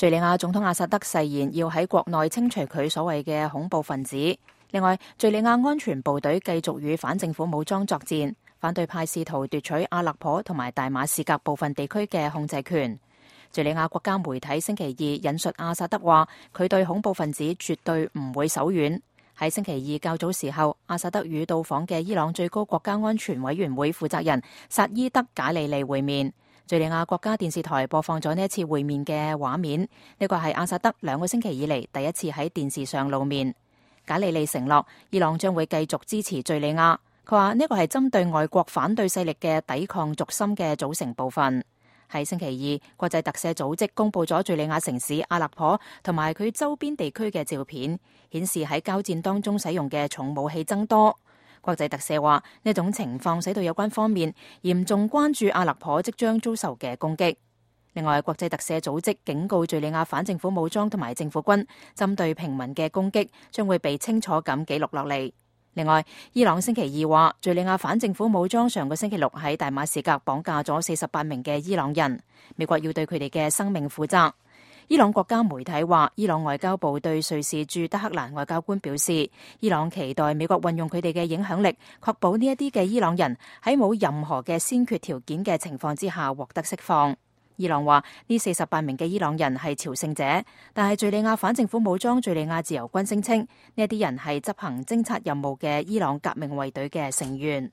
敘利亞總統阿薩德誓言要喺國內清除佢所謂嘅恐怖分子。另外，敘利亞安全部隊繼續與反政府武裝作戰，反對派試圖奪取阿勒頗同埋大馬士革部分地區嘅控制權。敘利亞國家媒體星期二引述阿薩德話，佢對恐怖分子絕對唔會手軟。喺星期二較早時候，阿薩德與到訪嘅伊朗最高國家安全委員會負責人薩伊德賈里利會面。敘利亞國家電視台播放咗呢一次會面嘅畫面，呢個係阿薩德2個星期以嚟第一次喺電視上露面。賈里利承諾，伊朗將會繼續支持敘利亞。佢話呢個係針對外國反對勢力嘅抵抗軸心嘅組成部分。喺星期二，國際特赦組織公佈咗敘利亞城市阿勒頗同埋佢周邊地區嘅照片，顯示喺交戰當中使用嘅重武器增多。國際特赦話，呢種情況使到有關方面嚴重關注阿勒頗即將遭受嘅攻擊。另外，國際特赦組織警告敘利亞反政府武裝同埋政府軍針對平民嘅攻擊將會被清楚咁記錄落嚟。另外，伊朗星期二話，敘利亞反政府武裝上個星期六喺大馬士革綁架咗48名嘅伊朗人，美國要對佢哋嘅生命負責。伊朗國家媒體話，伊朗外交部對瑞士駐德黑蘭外交官表示，伊朗期待美國運用佢哋嘅影響力，確保呢一啲嘅伊朗人喺冇任何嘅先決條件嘅情況之下獲得釋放。伊朗話呢48名嘅伊朗人係朝聖者，但係敘利亞反政府武裝敘利亞自由軍聲稱呢一啲人係執行偵察任務嘅伊朗革命衛隊嘅成員。